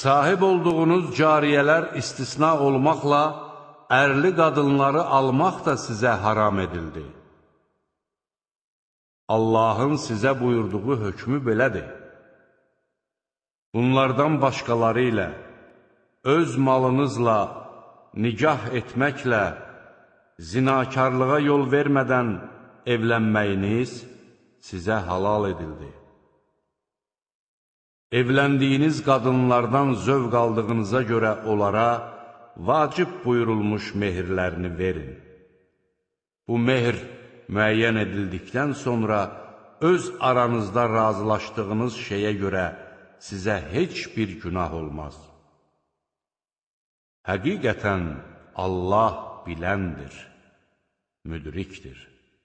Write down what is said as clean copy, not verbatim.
Sahib olduğunuz cariyələr istisna olmaqla, ərli qadınları almaq da sizə haram edildi. Allahın sizə buyurduğu hökmü belədir. Bunlardan başqaları ilə, öz malınızla, nicah etməklə, zinakarlığa yol vermədən evlənməyiniz sizə halal edildi. Evləndiyiniz qadınlardan zövq aldığınıza görə onlara vacib buyurulmuş mehirlərini verin. Bu mehr müəyyən edildikdən sonra öz aranızda razılaşdığınız şeyə görə sizə heç bir günah olmaz. Həqiqətən Allah biləndir, müdrikdir.